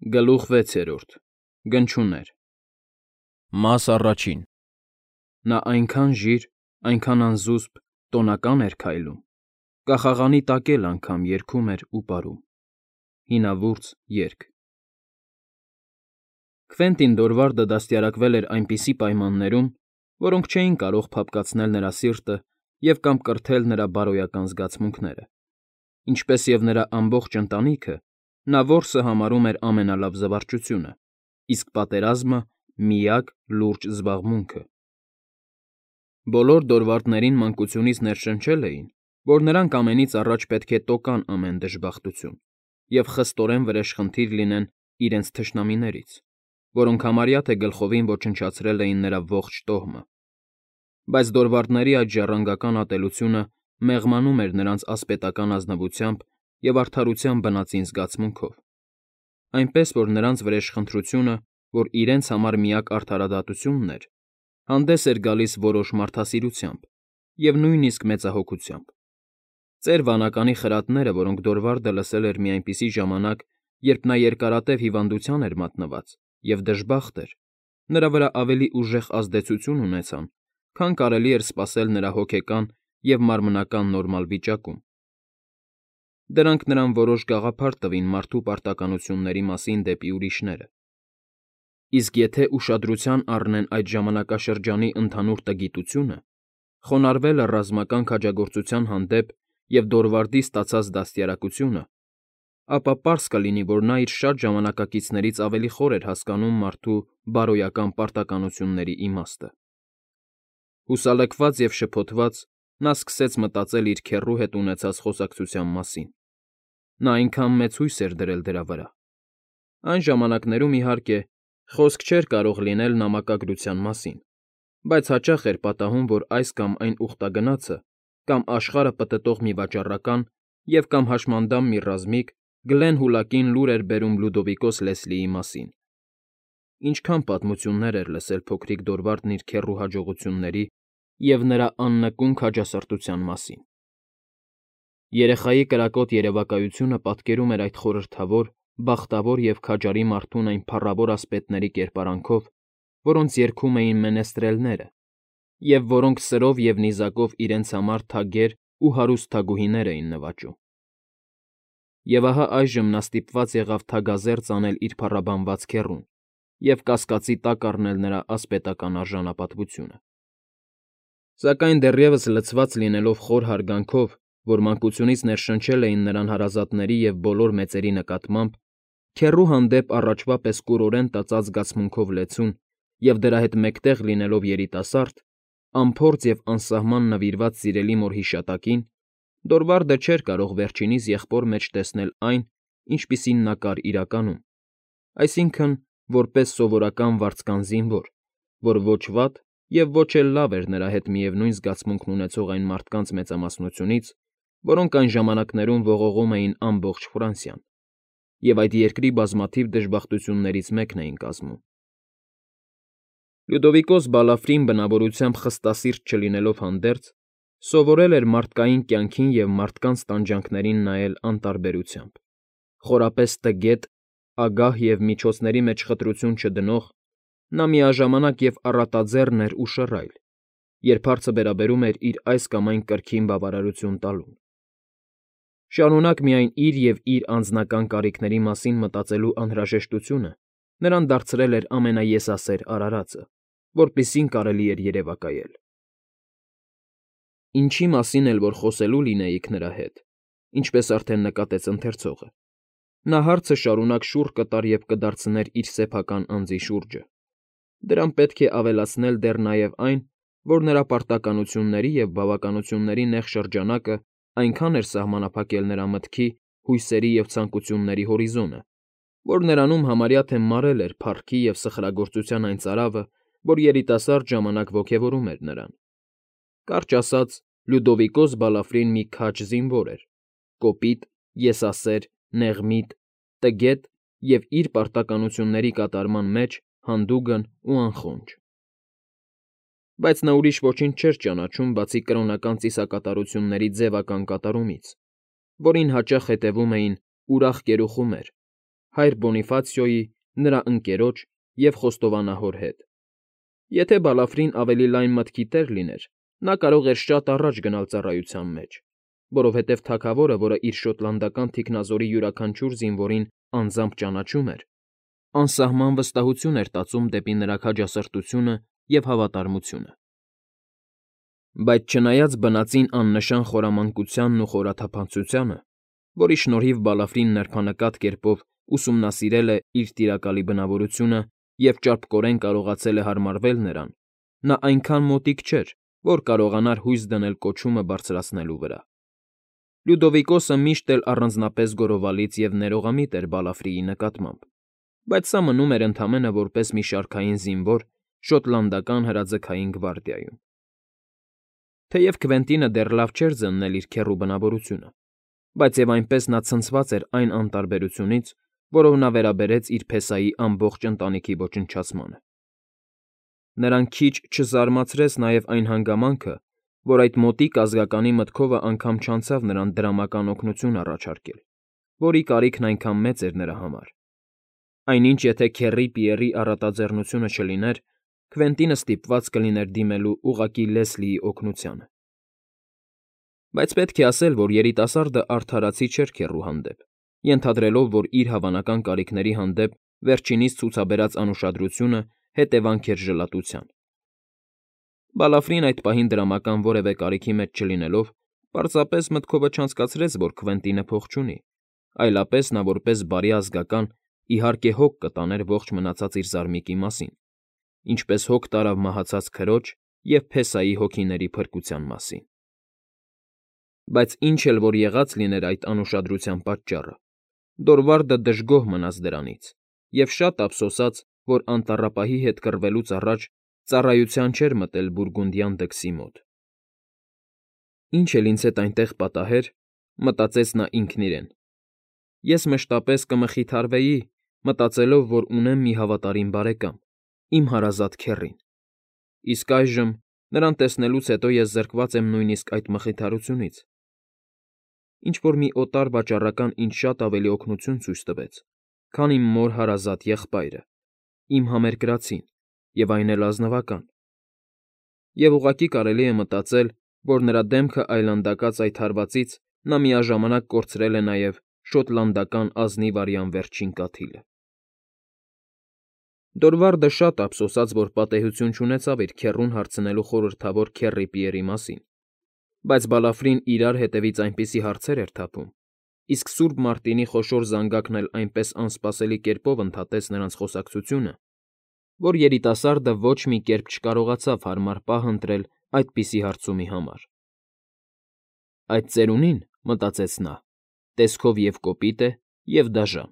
Գլուխ 6 Գնչուներ Մաս առաջին Նա այնքան ժիր, այնքան անզուսպ, տոնական էր քայլում, կախաղանի տակ էլ անգամ երգում էր ու պարում։ Հինավուրց երգ Քվենտին Դորվարդը դաստիարակվել էր այնպիսի պայմաններում, որոնք չէին կարող փափկացնել նրա սիրտը և կամ կրթել նրա բարոյական զգացմունքները, ինչպես և նրա ամբողջ ընտանիքը, նա որսը համարում էր ամենալավ զվարճությունը, իսկ պատերազմը՝ միակ լուրջ զբաղմունքը։ Բոլոր Դորվարդներին մանկությունից ներշնչել էին, որ նրանք ամենից առաջ պետք է տոկան ամեն դժբախտություն և խստորեն վրեժխնդիր լինեն իրենց թշնամիներից, որոնք համարյա թե գլխովին ոչնչացրել էին նրա ողջ տոհմը։ Բայց Դորվարդների այդ ժառանգական ատելությունը մեղմանում էր նրանց ասպետական ազնվությամբ և արդարության բնածին զգացմունքով, այնպես որ նրանց վրեժխնդրությունը, որ իրենց համար միակ արդարադատությունն էր, հանդես էր գալիս որոշ մարդասիրությամբ և նույնիսկ մեծահոգությամբ։ Ծեր վանականի խրատները, որոնք Դորվարդը լսել էր մի այնպիսի ժամանակ, երբ նա երկարատև հիվանդության էր մատնված և դժբախտ էր, նրա վրա ավելի ուժեղ ազդեցություն ունեցան, քան կարելի էր սպասել նրա հոգեկան և մարմնական նորմալ վիճակում։ Դրանք նրան որոշ գաղափար տվին մարդու պարտականությունների մասին դեպի ուրիշները։ Իսկ եթե ուշադրության առնեն այդ ժամանակաշրջանի ընդհանուր տգիտությունը, խոնարհվելը ռազմական քաջագործության հանդեպ և Դորվարդի ստացած դաստիարակությունը, ապա պարզ կլինի, որ նա իր շատ ժամանակակիցներից ավելի խոր էր հասկանում մարդու բարոյական պարտականությունների իմաստը։ Հուսալքված և շփոթված՝ նա սկսեց մտածել իր քեռու հետ ունեցած խոսակցության մասին։ Նա այնքան մեծ հույս էր դրել դրա վրա։ Այն ժամանակներում, իհարկե, խոսք չէր կարող լինել նամակագրության մասին, բայց հաճախ էր պատահում, որ այս կամ այն ուխտագնացը կամ աշխարհը պտտող մի վաճառական և կամ հաշմանդամ մի ռազմիկ Գլենհուլակին լուր էր բերում Լյուդովիկոս Լեսլիի մասին։ Ինչքան պատմություններ էր լսել փոքրիկ Դորվարդն իր քեռու հաջողությունների և նրա աննկուն քաջասրտության մասին։ Երեխայի կրակոտ երևակայությունը պատկերում էր այդ խորհրդավոր, բախտավոր և քաջարի մարդուն այն փառավոր ասպետների կերպարանքով, որոնց երգում էին մենեստրելները, և որոնք սրով և նիզակով իրենց համար թագեր ու հարուստ թագուհիներ էին նվաճում։ Եվ ահա այժմ նա ստիպված եղավ թագազերծ անել իր փառաբանված քեռուն և կասկածի տակ առնել նրա ասպետական արժանապատվությունը։ Սակայն դեռևս լցված լինելով խոր հարգանքով, որ մանկությունից ներշնչել էին նրան հարազատների և բոլոր մեծերի նկատմամբ, քեռու հանդեպ առաջվա պես կուրորեն տածած զգացմունքով լեցուն և դրա հետ մեկտեղ լինելով երիտասարդ, անփորձ և անսահման նվիրված սիրելի մոր հիշատակին, Դորվարդը չէր կարող վերջինիս եղբոր մեջ տեսնել այն, ինչպիսին նա կար իրականում, այսինքն՝ որպես սովորական վարձկան զինվոր, որ ոչ վատ և ոչ էլ լավ էր նրա հետ միևնույն զգացմունքն ունեցող այն մարդկանց մեծամասնությունից, որոնք այն ժամանակներում ողողում էին ամբողջ Ֆրանսիան և այդ երկրի բազմաթիվ դժբախտություններից մեկն էին կազմում։ Լյուդովիկոս Բալաֆրին բնավորությամբ խստասիրտ չլինելով հանդերձ, սովորել էր մարդկային կյանքին և մարդկանց տանջանքներին նայել անտարբերությամբ, խորապես տգետ, ագահ և միջոցների մեջ խտրություն չդնող, նա միաժամանակ և առատաձեռն էր ու շռայլ, երբ հարցը վերաբերում էր իր այս կամ այն կրքին բավարարություն տալուն։ Շարունակ միայն իր և իր անձնական կարիքների մասին մտածելու անհրաժեշտությունը նրան դարձրել էր ամենաեսասեր արարածը, որպիսին կարելի էր երևակայել։ Ինչի մասին էլ որ խոսելու լինեիք նրա հետ, ինչպես արդեն նկատեց ընթերցողը, նա հարցը շարունակ շուռ կտար և կդարձներ իր սեփական անձի շուրջը։ Դրան պետք է ավելացնել դեռ նաև այն, որ նրա պարտականությունների և բավականությունների նեղ շրջանակը այնքան էր սահմանափակել նրա մտքի, հույսերի և ցանկությունների հորիզոնը, որ նրանում համարյա թե մարել էր փառքի և սխրագործության այն ծարավը, որ երիտասարդ ժամանակ ոգևորում էր նրան։ Կարճ ասած, Լյուդովիկոս Բալաֆրին մի քաջ զինվոր էր, կոպիտ, եսասեր, նեղմիտ, տգետ և իր պարտականությունների կատարման մեջ հանդուգն ու անխոնջ։ Բայց նա ուրիշ ոչինչ չէր ճանաչում, բացի կրոնական ծիսակատարությունների ձևական կատարումից, որին հաճախ հետևում էին ուրախ կերուխումեր, հայր Բոնիֆացիոյի, նրա ընկերոջ և խոստովանահոր հետ։ Եթե Բալաֆրին ավելի լայն մտքի տեր լիներ, նա կարող էր շատ առաջ գնալ ծառայության մեջ, որովհետև թագավորը, որը իր շոտլանդական թիկնազորի յուրաքանչյուր զինվորին անձամբ ճանաչում էր, անսահման վստահություն էր տածում դեպի նրա քաջասրտությունը և հավատարմությունը։ Բայց չնայած բնածին աննշան խորամանկությանն ու խորաթափանցությանը, որի շնորհիվ Բալաֆրին նրբանկատ կերպով ուսումնասիրել է իր տիրակալի բնավորությունը և ճարպկորեն կարողացել է հարմարվել նրան, նա այնքան մոտիկ չէր, որ կարողանար հույս դնել կոչումը բարձրացնելու վրա։ Լյուդովիկոսը միշտ էլ առանձնապես գոռովալից և ներողամիտ էր Բալաֆրիի նկատմամբ, բայց սա մնում էր ընդամենը որպես մի շարքային զինվոր շոտլանդական հրաձգային գվարդիայում։ Թեև Քվենտինը դեռ լավ չէր զննել իր քեռու բնավորությունը, բայց և այնպես նա ցնցված էր այն անտարբերությունից, որով նա վերաբերեց իր փեսայի ամբողջ ընտանիքի ոչնչացմանը։ Նրան քիչ չզարմացրեց նաև այն հանգամանքը, որ այդ մոտիկ ազգականի մտքովը անգամ չանցավ նրան դրամական օգնություն առաջարկել, որի կարիքն այնքան մեծ էր նրա համար։ Այնինչ եթե քեռի Պիերի առատաձեռնությունը չլիներ, Քվենտինը ստիպված կլիներ դիմելու ուղղակի Լեսլիի օգնությանը։ Բայց պետք է ասել, որ երիտասարդը արդարացի չէր քեռու հանդեպ, ենթադրելով, որ իր հավանական կարիքների հանդեպ վերջինիս ցուցաբերած անուշադրությունը հետևանք էր ժլատության։ Բալաֆրին այդ պահին դրամական որևէ կարիքի մեջ չլինելով, պարզապես մտքովը չանցկացրեց, որ Քվենտինը փող չունի, այլապես նա որպես բարի ազգական իհարկե հոգ կտաներ ողջ մնացած իր զարմիկի մասին, ինչպես հոգ տարավ մահացած քրոջ և փեսայի հոգիների փրկության մասին։ Բայց ինչ էլ որ եղած լիներ այդ անուշադրության պատճառը, Դորվարդը դժգոհ մնաց դրանից և շատ ափսոսաց, որ անտառապահի հետ կռվելուց առաջ ծառայության չէր մտել բուրգունդյան դքսի մոտ։ «Ինչ էլ ինձ հետ այնտեղ պատահեր,֊ մտածեց նա ինքն իրեն,֊ ես մշտապես կմխիթարվեի, մտածելով, որ ունեմ մի հավատարիմ բարեկամ, իմ հարազատ քեռին։ Իսկ այժմ, նրան տեսնելուց հետո ես զրկված եմ նույնիսկ այդ մխիթարությունից։ Ինչ֊որ մի օտար վաճառական ինձ շատ ավելի օգնություն ցույց տվեց, քան իմ մոր հարազատ եղբայրը, իմ համերկրացին, և այն էլ ազնվական։ Եվ ուղղակի կարելի է մտածել, որ նրա դեմքը այլանդակած այդ հարվածից նա միաժամանակ կորցրել է նաև շոտլանդական ազնիվ արյան վերջին կաթիլը»։ Դորվարդը շատ ափսոսաց, որ պատեհություն չունեցավ իր քեռուն հարցնելու խորհրդավոր քեռի Պիերի մասին, բայց Բալաֆրին իրար հետևից այնպիսի հարցեր էր թափում, իսկ Սուրբ Մարտինի խոշոր զանգակն էլ այնպես անսպասելի կերպով ընդհատեց նրանց խոսակցությունը, որ երիտասարդը ոչ մի կերպ չկարողացավ հարմար պահ ընտրել այդպիսի հարցումի համար։ «Այդ ծերունին,֊ մտածեց նա,֊ տեսքով և կոպիտ է, և դաժան,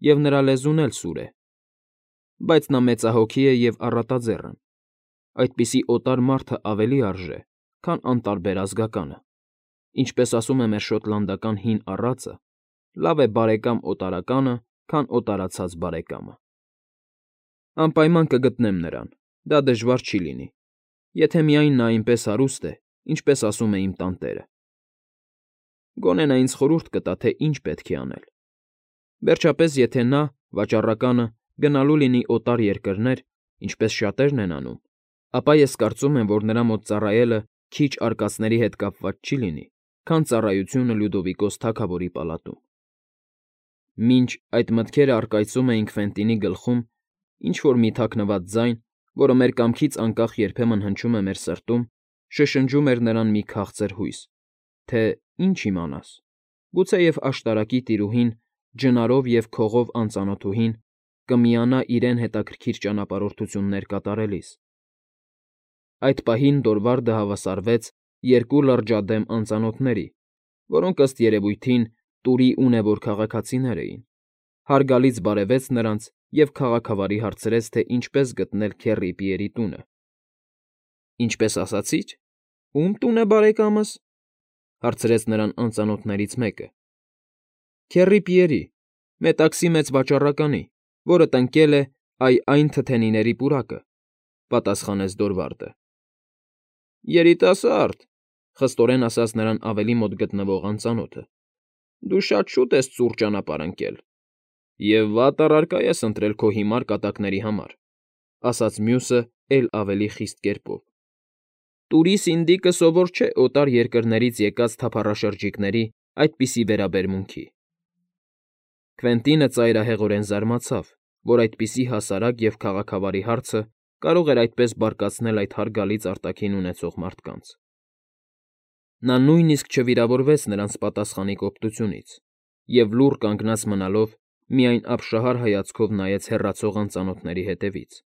և նրա լեզուն էլ սուր է, բայց նա մեծահոգի է և առատաձեռն։ Այդպիսի օտար մարդը ավելի արժե, քան անտարբեր ազգականը։ Ինչպես ասում է մեր շոտլանդական հին առածը, լավ է բարեկամ օտարականը, քան օտարացած բարեկամը։ Անպայման կգտնեմ նրան, դա դժվար չի լինի, եթե միայն նա այնպես հարուստ է, ինչպես ասում է իմ տանտերը։ Գոնե նա ինձ խորհուրդ կտա, թե ինչ պետք է անել։ Վերջապես, եթե նա, վաճառականը, գնալու լինի օտար երկրներ, ինչպես շատերն են անում, ապա ես կարծում եմ, որ նրա մոտ ծառայելը քիչ արկածների հետ կապված չի լինի, քան ծառայությունը Լյուդովիկոս թագավորի պալատում։ Մինչ այդ մտքերը առկայծում էին Քվենտինի գլխում, ինչ֊որ մի թաքնված ձայն, որը մեր կամքից անկախ երբեմն հնչում է մեր սրտում, շշնջում էր նրան մի քաղցր հույս, թե, ինչ իմանաս, գուցեև աշտարակի տիրուհին, ջնարով և քողով անծանոթուհին, կմիանա իրեն հետաքրքիր ճանապարհորդություններ կատարելիս։ Այդ պահին Դորվարդը հավասարվեց երկու լրջադեմ անծանոթների, որոնք ըստ երևույթին Տուրի ունևոր քաղաքացիներ էին, հարգալից բարևեց նրանց և քաղաքավարի հարցրեց, թե ինչպես գտնել քեռի Պիերի տունը։ «Ինչպես ասացի՞ր, ո՞ւմ տուն է, բարեկամս,֊ հարցրեց նրան անծանոթներից մեկը։ «Քեռի Պիերի, Մետաքսի մեծ վաճառականի, որը տնկել է այն թթենիների պուրակը,֊ պատասխանեց Դորվարդը։ «Երիտասարդ,֊ խստորեն ասաց նրան ավելի մոտ գտնվող անծանոթը,֊ դու շատ շուտ ես ծուռ ճանապարհ ընկել։ Եվ վատ առարկա ես ընտրել քո հիմար կատակների համար,֊ ասաց մյուսը էլ ավելի խիստ կերպով։ Տուրիս Ինդիկը սովոր չէ օտար երկրներից եկած թափառաշրջիկների այդպիսի վերաբերմունքի։ Քվենտինը ծայրահեղորեն զարմացավ, որ այդպիսի հասարակ և քաղաքավարի հարցը կարող էր այդպես բարկացնել այդ հարգալից արտաքին ունեցող մարդկանց։ Նա նույնիսկ չվիրավորվեց նրանց պատասխանի կոպտությունից և լուռ կանգնած մնալով միայն ապշահար հայացքով նայեց հեռացող անծանոթների հետևից,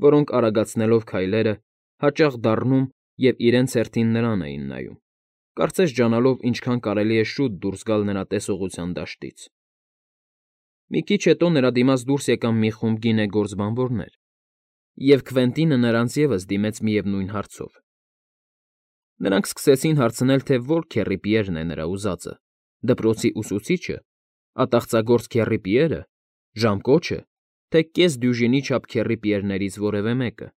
որոնք արագացնելով քայլերը հաճախ դառնում և իրենց հերթին նրան էին նայում, կարծես ջանալով ինչքան կարելի է շուտ դուրս գալ նրա տեսողության դաշտից։ Մի քիչ հետո նրա դիմաց դուրս եկան մի խումբ գինեգործ բանվորներ, և Քվենտինը նրանց ևս դիմեց միևնույն հարցով։ Նրանք սկսեցին հարցնել, թե որ Քեռի Պիերն է նրա ուզածը՝ դպրոցի ուսուցի՞չը, ատաղծագործ Քեռի Պիերը, ժամկո՞չը, թե կես դյուժինի չափ Քեռի Պիերներից որևէ մեկը։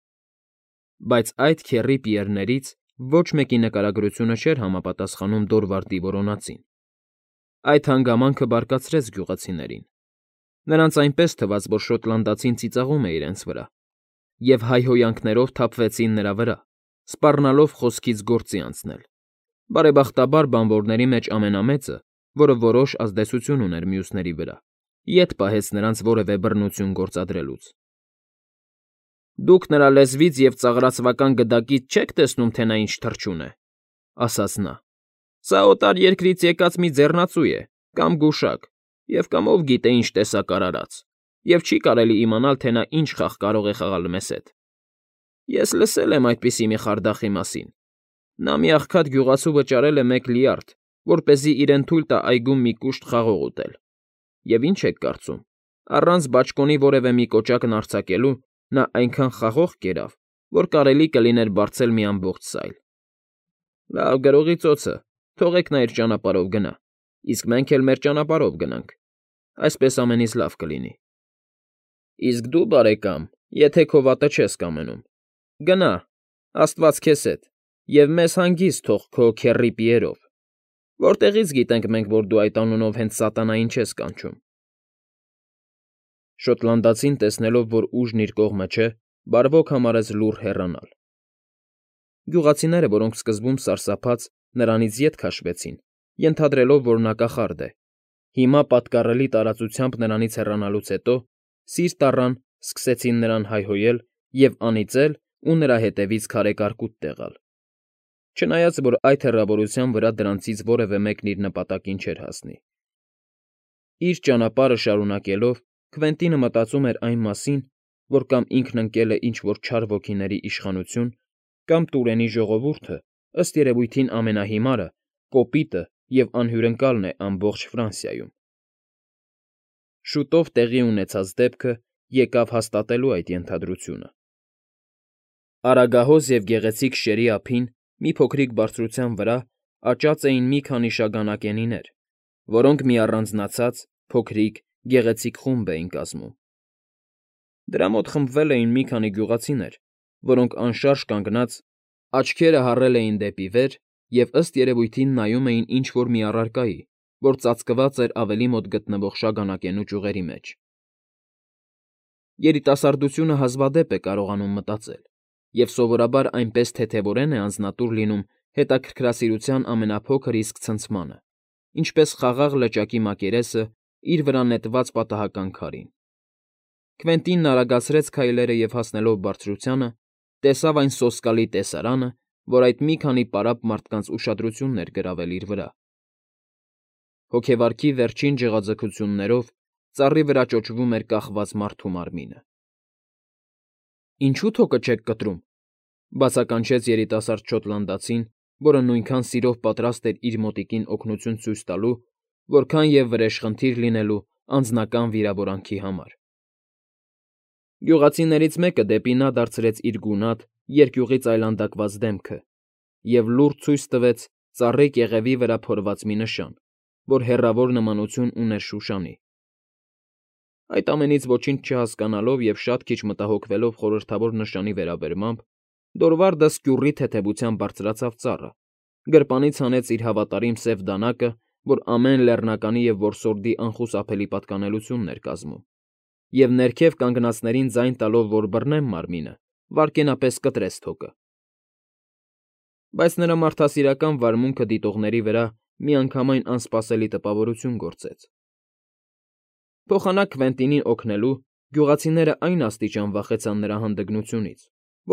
Բայց այդ Քեռի Պիերներից ոչ մեկի նկարագրությունը չէր համապատասխանում Դորվարդի որոնածին։ Այդ հանգամանքը բարկացրեց գյուղացիներին։ Նրանց այնպես թվաց, որ շոտլանդացին ծիծաղում է իրենց վրա, և հայհոյանքներով թափվեցին նրա վրա, սպառնալով խոսքից գործի անցնել։ Բարեբախտաբար բանվորների մեջ ամենամեծը, որը որոշ ազդեցություն ուներ մյուսների վրա, ետ պահեց նրանց որևէ բռնություն գործադրելուց։ Դուք նրա լեզվից և ծաղրածվական գդակից չեք տեսնում, թե նա ինչ թռչուն է,֊ ասաց նա։ Սա օտար երկրից եկած մի ձեռնածու է, կամ գուշակ, և կամ ով գիտե ինչ տեսակ արարած, և չի կարելի իմանալ, թե նա ինչ խաղ կարող է խաղալ մեզ հետ։ Ես լսել եմ այդպիսի մի խարդախի մասին. նա մի աղքատ գյուղացու վճարել է 1 լյարդ, որպեսզի իրեն թույլ տա այգում մի կուշտ խաղող ուտել։ Եվ ինչ եք կարծում, առանց բաճկոնի որևէ մի կոճակն արձակելու նա այնքան խաղող կերավ, որ կարելի կլիներ բարձել մի ամբողջ սայլ։ Լավ, գրողի ծոցը, թողեք նա իր ճանապարհով գնա, իսկ մենք էլ մեր ճանապարհով գնանք, այսպես ամենից լավ կլինի։ Իսկ դու, բարեկամ, եթե քո վատը չես կամենում, գնա, աստված քեզ հետ, և մեզ հանգիստ թող քո Քեռի Պիերով, որտեղի՞ց գիտենք մենք, որ դու այդ անունով հենց սատանային չես կանչում։ Շոտլանդացին, տեսնելով, որ ուժն իր կողմը չէ, բարվոք համարեց լուռ հեռանալ։ Գյուղացիները, որոնք սկզբում սարսափած նրանից ետ քաշվեցին, ենթադրելով, որ նա կախարդ է, հիմա պատկառելի տարածությամբ նրանից հեռանալուց հետո սիրտ առան, սկսեցին նրան հայհոյել և անիծել ու նրա հետևից քարե կարկուտ տեղալ։ Չնայած որ այդ հեռավորության վրա դրանցից որևէ մեկն իր նպատակին չէր հասնի։ Իր ճանապարհը շարունակելով՝ Քվենտինը մտածում էր այն մասին, որ կամ ինքն ընկել է ինչ֊որ չար ոգիների իշխանություն, կամ Տուրենի ժողովուրդը, ըստ երևույթին ամենահիմարը, կոպիտը և անհյուրընկալն է ամբողջ Ֆրանսիայում։ Շուտով տեղի ունեցած դեպքը եկավ հաստատելու այդ ենթադրությունը։ Արագահոս և գեղեցիկ շերի ափին մի փոքրիկ բարձրության վրա աճած էին մի քանի շագանակենիներ, որոնք մի առանձնացած, փոքրիկ, գեղեցիկ խումբ էին կազմում։ Դրա մոտ խմբվել էին մի քանի գյուղացիներ, որոնք անշարժ կանգնած աչքերը հառել էին դեպի վեր և ըստ երևույթին նայում էին ինչ֊որ մի առարկայի, որ ծածկված էր ավելի մոտ գտնվող շագանակենու ճյուղերի մեջ։ Երիտասարդությունը հազվադեպ է կարողանում մտածել, և սովորաբար այնպես թեթևորեն է անձնատուր լինում հետաքրքրասիրության ամենափոքր իսկ ցնցմանը, ինչպես խաղաղ լճակի մակերեսը իր վրա նետված պատահական քարին։ Քվենտինն արագացրեց քայլերը և հասնելով բարձրությանը, տեսավ այն սոսկալի տեսարանը, որ այդ մի քանի պարապ մարդկանց ուշադրությունն էր գրավել իր վրա։ Հոգեվարքի վերջին ջղաձգություններով ծառի վրա ճոճվում էր կախված մարդու մարմինը։ Ինչո՞ւ թոկը չեք կտրում,֊ բացականչեց երիտասարդ շոտլանդացին, որը նույնքան սիրով պատրաստ էր իր մոտիկին օգնություն ցույց տալու, որքան և վրեժխնդիր լինելու անձնական վիրավորանքի համար։ Գյուղացիներից մեկը դեպի նա դարձրեց իր գունատ, երկյուղից այլանդակված դեմքը և լուռ ցույց տվեց ծառի կեղևի վրա փորված մի նշան, որ հեռավոր նմանություն ուներ շուշանի։ Այդ ամենից ոչինչ չհասկանալով և շատ քիչ մտահոգվելով խորհրդավոր նշանի վերաբերմամբ, Դորվարդը սկյուռի թեթևությամբ բարձրացավ ծառը, գրպանից հանեց իր հավատարիմ սև դանակը որ ամեն լեռնականի և որսորդի անխուսափելի պատկանելությունն էր կազմում, և ներքև կանգնածներին ձայն տալով, որ բռնեն մարմինը, վայրկենապես կտրեց թոկը։ Բայց նրա մարդասիրական վարմունքը դիտողների վրա միանգամայն անսպասելի տպավորություն գործեց։ Փոխանակ Քվենտինին օգնելու, գյուղացիները այն աստիճան վախեցան նրա հանդգնությունից,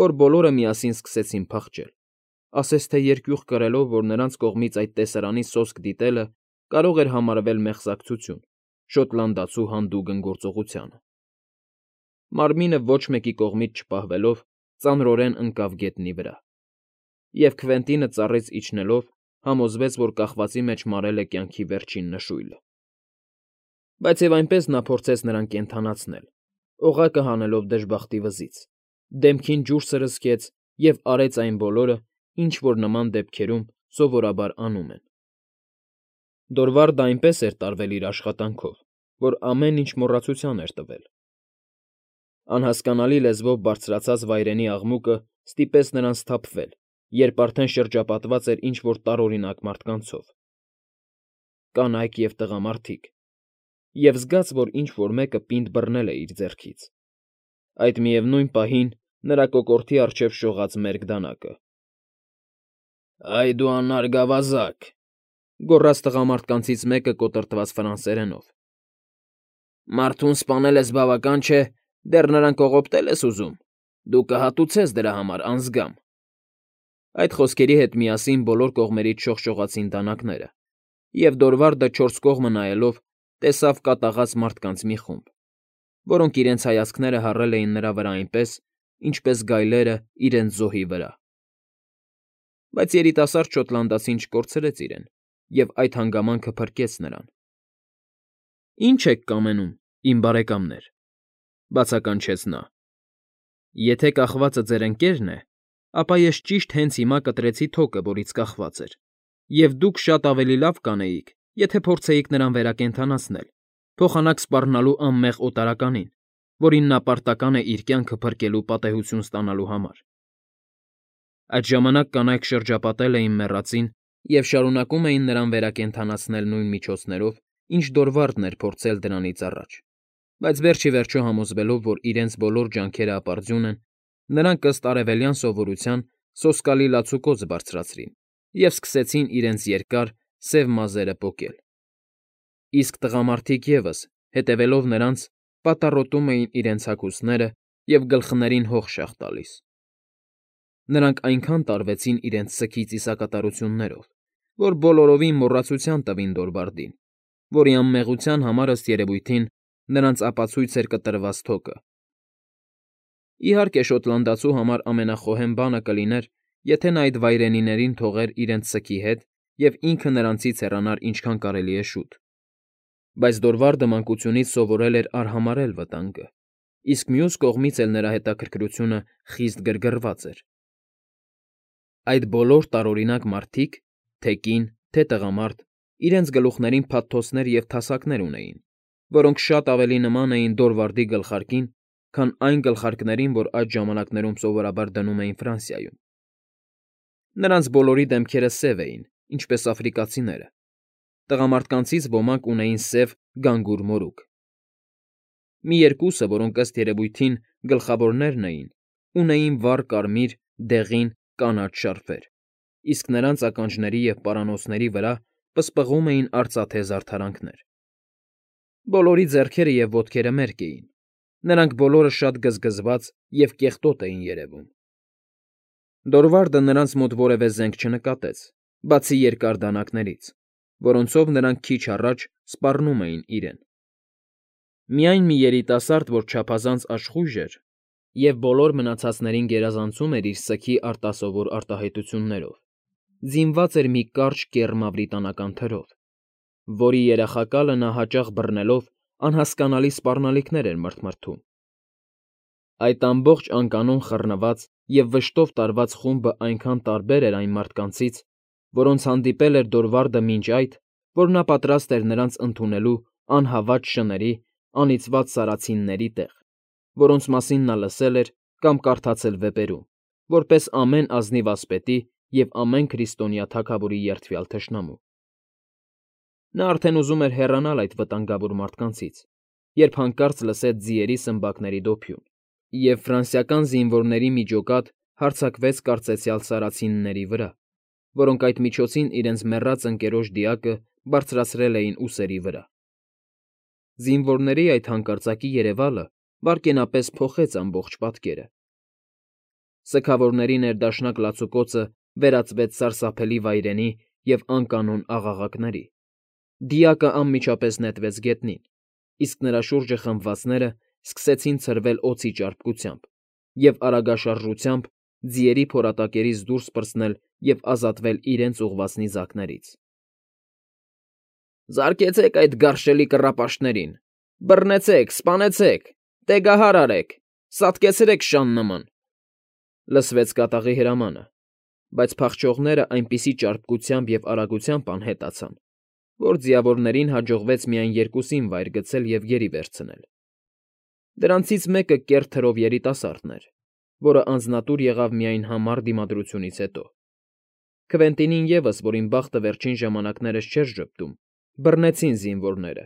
որ բոլորը միասին սկսեցին փախչել, ասես թե երկյուղ կրելով, որ նրանց կողմից այդ տեսարանի սոսկ դիտելը կարող էր համարվել մեղսակցություն շոտլանդացու հանդուգն գործողությանը։ Մարմինը ոչ մեկի կողմից չպահվելով ծանրորեն ընկավ գետնի վրա, և Քվենտինը ծառից իջնելով համոզվեց, որ կախվածի մեջ մարել է կյանքի վերջին նշույլը։ Բայց և այնպես նա փորձեց նրան կենդանացնել, օղակը հանելով դժբախտի վզից, դեմքին ջուր սրսկեց և արեց այն բոլորը, ինչ որ նման դեպքերում սովորաբար անում են։ Դորվարդը այնպես էր տարվել իր աշխատանքով, որ ամեն ինչ մոռացության էր տվել։ Անհասկանալի լեզվով բարձրացած վայրենի աղմուկը ստիպեց նրան սթափվել, երբ արդեն շրջապատված էր ինչ֊որ տարօրինակ մարդկանցով, կանայք և տղամարդիկ, և զգաց, որ ինչ֊որ մեկը պինդ բռնել է իր ձեռքից, այդ միևնույն պահին նրա կոկորդի առջև շողաց մերկ դանակը։ «Այ դու անարգ ավազակ,֊ գոռաց տղամարդկանցից մեկը կոտրտված ֆրանսերենով,֊ մարդուն սպանել ես բավական չէ, դեռ նրան կողոպտել ես ուզում, դու կհատուցես դրա համար անձգամ»։ Այդ խոսքերի հետ միասին բոլոր կողմերից շողշողացին դանակները, և Դորվարդը չորս կողմը նայելով տեսավ կատաղած մարդկանց մի խումբ, որոնք իրենց հայացքները հառել էին նրա վրա այնպես, ինչպես գայլերը իրենց զոհի վրա։ Բայց երիտասարդ շոտլանդացին չկորցրեց իրեն և այդ հանգամանքը փրկեց նրան։ «Ի՞նչ եք կամենում, իմ բարեկամներ,֊ բացականչեց նա,֊ եթե կախվածը ձեր ընկերն է, ապա ես ճիշտ հենց հիմա կտրեցի թոկը, որից կախված էր, և դուք շատ ավելի լավ կանեիք, եթե փորձեիք նրան վերակենդանացնել, փոխանակ սպառնալու անմեղ օտարականին, որին նա պարտական է իր կյանքը փրկելու պատեհություն ստանալու համար»։ Այդ ժամանակ կանայք շրջապատել էին մեռածին և շարունակում էին նրան վերակենդանացնել նույն միջոցներով, ինչ Դորվարդն էր փորձել դրանից առաջ, բայց վերջ ի վերջո համոզվելով, որ իրենց բոլոր ջանքերը ապարդյուն են, նրանք ըստ արևելյան սովորության սոսկալի լացուկոծ բարձրացրին և սկսեցին իրենց երկար, սև մազերը պոկել։ Իսկ տղամարդիկ ևս, հետևելով նրանց, պատառոտում էին իրենց հագուստները և գլխներին հող շաղ տալիս։ Նրանք այնքան տարվեցին իրենց սգի ծիսակատարություններով, որ բոլորովին մոռացության տվին Դորվարդին, որի անմեղության համար, ըստ երևույթին, նրանց ապացույց էր կտրված թոկը։ Իհարկե, շոտլանդացու համար ամենախոհեմ բանը կլիներ, եթե նա այդ վայրենիներին թողեր իրենց սգի հետ և ինքը նրանցից հեռանար ինչքան կարելի է շուտ, բայց Դորվարդը մանկությունից սովորել էր արհամարհել վտանգը, իսկ մյուս կողմից էլ նրա հետաքրքրությունը խիստ գրգռված էր։ Այդ բոլոր տարօրինակ մարդիկ, թե կին, թե տղամարդ, իրենց գլուխներին փաթթոցներ և թասակներ ունեին, որոնք շատ ավելի նման էին Դորվարդի գլխարկին, քան այն գլխարկներին, որ այդ ժամանակներում սովորաբար դնում էին Ֆրանսիայում։ Նրանց բոլորի դեմքերը սև էին, ինչպես աֆրիկացիները, տղամարդկանցից ոմանք ունեին սև գանգուր մորուք։ Մի երկուսը, որոնք ըստ երևույթին գլխավորներն էին, ունեին վառ կարմիր, դեղին, կանաչ շարֆեր, իսկ նրանց ականջների և պարանոցների վրա պսպղում էին արծաթե զարդարանքներ։ Բոլորի ձեռքերը և ոտքերը մերկ էին, նրանք բոլորը շատ գզգզված և կեղտոտ էին երևում։ Դորվարդը նրանց մոտ որևէ զենք չնկատեց, բացի երկար դանակներից, որոնցով նրանք քիչ առաջ սպառնում էին իրեն։ Միայն մի երիտասարդ, որ չափազանց աշխույժ էր և բոլոր մնացածներին գերազանցում էր իր սգի արտասովոր արտահայտություններով, զինված էր մի կարճ կեռ մավրիտանական թրով, որի երախակալը նա հաճախ բռնելով անհասկանալի սպառնալիքներ էր մրթմրթում։ Այդ ամբողջ անկանոն խռնված և վշտով տարված խումբը այնքան տարբեր էր այն մարդկանցից, որոնց հանդիպել էր Դորվարդը մինչ այդ, որ նա պատրաստ էր նրանց ընդունելու անհավատ շների, անիծված սարացինների տեղ, որոնց մասին նա լսել էր կամ կարդացել վեպերում, որպես ամեն ազնիվ ասպետի և ամեն քրիստոնյա թագավորի երդվյալ թշնամու։ Նա արդեն ուզում էր հեռանալ այդ վտանգավոր մարդկանցից, երբ հանկարծ լսեց ձիերի սմբակների դոփյուն, և ֆրանսիական զինվորների մի ջոկատ հարձակվեց կարծեցյալ սարացինների վրա, որոնք այդ միջոցին իրենց մեռած ընկերոջ դիակը բարձրացրել էին ուսերի վրա։ Զինվորների այդ հանկարծակի երևալը վայրկենապես փոխեց ամբողջ պատկերը։ Սգավորների ներդաշնակ լացուկոցը վերածվեց սարսափելի վայրենի և անկանոն աղաղակների։ Դիակը անմիջապես նետվեց գետնին, իսկ նրա շուրջը խմբվածները սկսեցին ցրվել օձի ճարպկությամբ և արագաշարժությամբ ձիերի փորատակերից դուրս պրծնել և ազատվել իրենց ուղղված նիզակներից։ «Զարկեցեք այդ գարշելի կռապաշտներին, բռնեցեք, սպանեցեք, տեգահար արեք, սատկեցրեք շան նման», լսվեց կատաղի հրամանը, բայց փախչողները այնպիսի ճարպկությամբ և արագությամբ անհետացան, որ ձիավորներին հաջողվեց միայն երկուսին վայր գցել և գերի վերցնել։ Դրանցից մեկը կեռ թրով երիտասարդն էր, որը անձնատուր եղավ միայն համառ դիմադրությունից հետո։ Քվենտինին ևս, որին բախտը վերջին ժամանակներս չէր ժպտում, բռնեցին զինվորները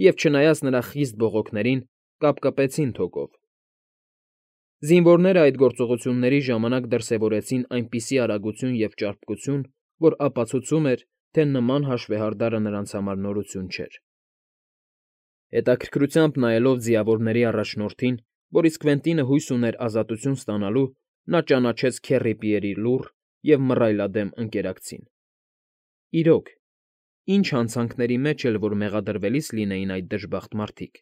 և, չնայած նրա խիստ բողոքներին, կապկպեցին թոկով։ Զինվորները այդ գործողությունների ժամանակ դրսևորեցին այնպիսի արագություն և ճարպկություն, որ ապացուցում էր, թե նման հաշվեհարդարը նրանց համար նորություն չէր։ Հետաքրքրությամբ նայելով ձիավորների առաջնորդին, որից Քվենտինը հույս ուներ ազատություն ստանալու, նա ճանաչեց Քեռի Պիերի լուռ և մռայլադեմ ընկերակցին։ Իրոք, ինչ հանցանքների մեջ էլ որ մեղադրվելիս լինեին այդ դժբախտ մարդիկ,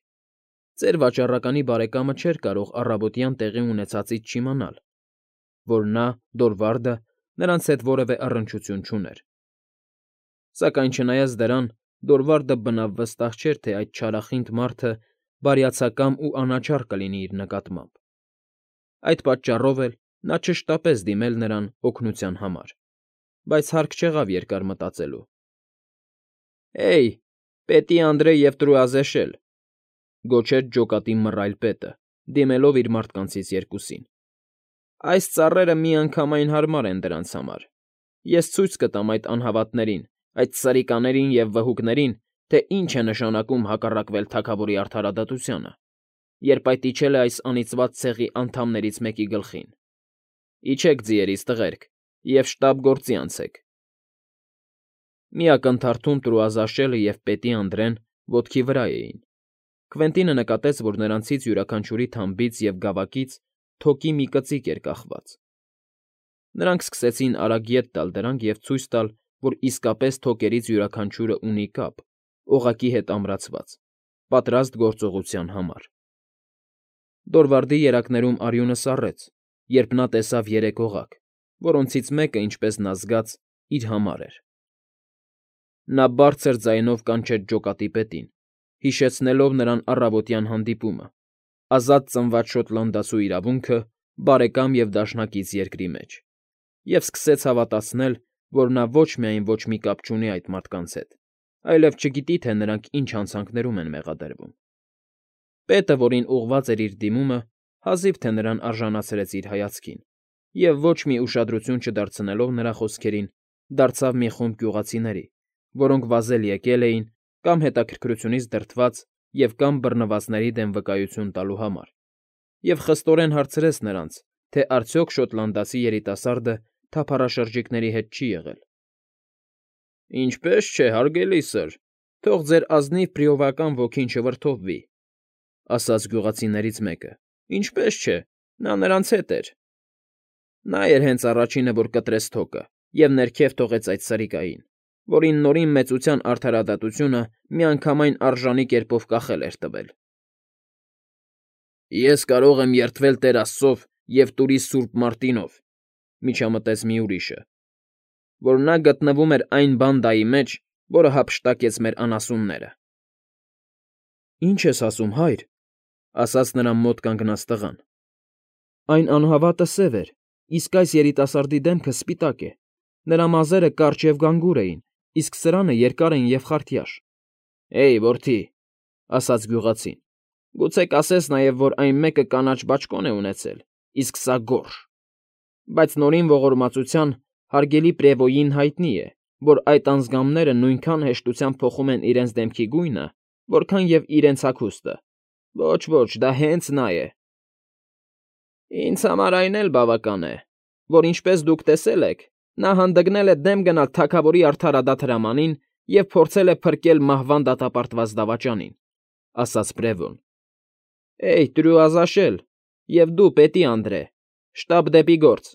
ծեր վաճառականի բարեկամը չէր կարող առավոտյան տեղի ունեցածից չիմանալ, որ նա, Դորվարդը, նրանց հետ որևէ առնչություն չուներ։ Սակայն չնայած դրան, Դորվարդը բնավ վստահ չէր, թե այդ չարախինդ մարդը բարյացակամ ու անաչառ կլինի իր նկատմամբ։ Այդ պատճառով էլ նա չշտապեց դիմել նրան օգնության համար, բայց հարկ չեղավ երկար մտածելու։ «Հեյ, Պետի Անդրե և Տրուազեշել», գոչեց ջոկատի մռայլ պետը, դիմելով իր մարդկանցից երկուսին։ «Այս ծառերը միանգամայն հարմար են դրանց համար։ Ես ցույց կտամ այդ անհավատներին, այդ սրիկաներին և վհուկներին, թե ինչ է նշանակում հակառակվել թագավորի արդարադատությանը, երբ այդ իջել է այս անիծված ցեղի անդամներից մեկի գլխին։ Իջեք, ձիերիս տղերք, և շտապ գործի անցեք»։ Մի ակնթարթում Տրուազաշելը և Պետի Անդրեն ոտքի վրա էին։ Քվենտինը նկատեց, որ նրանցից յուրաքանչյուրի թամբից և գավակից թոկի մի կծիկ էր կախված։ Նրանք սկսեցին արագ ետ տալ դրանք և ցույց տալ, որ իսկապես թոկերից յուրաքանչյուրը ունի կապ, օղակի հետ ամրացված, պատրաստ գործողության համար։ Դորվարդի երակներում արյունը սառեց, երբ նա տեսավ երեք օղակ, որոնցից մեկը, ինչպես նա զգաց, իր համար էր։ Նա բարձր ձայնով կանչեց ջոկատի պետին, հիշեցնելով նրան առավոտյան հանդիպումը, ազատ ծնված շոտլանդացու իրավունքը բարեկամ և դաշնակից երկրի մեջ, և սկսեց հավատացնել, որ նա ոչ միայն ոչ մի կապ չունի այդ մարդկանց հետ, այլև չգիտի, թե նրանք ինչ հանցանքներում են մեղադրվում։ Պետը, որին ուղղված էր իր դիմումը, հազիվ թե նրան արժանացրեց իր հայացքին և, ոչ մի ուշադրություն չդարձնելով նրա խոսքերին, դարձավ մի խումբ գյուղացիների, որոնք վազել եկել էին կամ հետաքրքրությունից դրդված և կամ բռնվածների դեմ վկայություն տալու համար, և խստորեն հարցրեց նրանց, թե արդյոք շոտլանդացի երիտասարդը թափառաշրջիկների հետ չի եղել։ «Ինչպե՜ս չէ, հարգելի սըր, թող ձեր ազնիվ բրիովական ոգին չվրդովվի», ասաց գյուղացիներից մեկը։ «Ինչպե՜ս չէ, նա նրանց հետ էր։ Նա էր հենց առաջինը, որ կտրեց թոկը և ներքև թողեց այդ սրիկային, որին Նորին Մեծության արդարադատությունը միանգամայն արժանի կերպով կախել էր տվել»։ «Ես կարող եմ երդվել Տեր Աստծով և տուրիս Սուրբ Մարտինով», միջամտեց մի ուրիշը, «որ նա գտնվում էր այն բանդայի մեջ, որը հափշտակեց մեր անասունները»։ «Ի՞նչ ես ասում, հայր», ասաց նրան մոտ կանգնած տղան։ «Այն անհավատը սև էր, իսկ այս երիտասարդի դեմքը սպիտակ է, նրա մազերը կարճ և գանգուր էին, իսկ սրանը երկար են և խարտյաշ»։ «Հեյ, որդի», ասաց գյուղացին, «գուցե կասես նաև, որ այն մեկը կանաչ բաճկոն է ունեցել, իսկ սա՝ գորշ։ Բայց Նորին Ողորմածության հարգելի Պրևոյին հայտնի է, որ այդ անձգամները նույնքան հեշտությամբ փոխում են իրենց դեմքի գույնը, որքան և իրենց հագուստը։ Ոչ, դա հենց նա է։ Ինձ համար այն էլ բավական է, որ ինչպես դուք տեսել եք, նա հանդգնել է դեմ գնալ թագավորի արդարադատ հրամանին և փորձել է փրկել մահվան դատապարտված դավաճանին,֊ ասաց Բրևոն։ Էյ, տրուազաշել, և դու, Պետի Անդրե, շտապ դեպի գործ։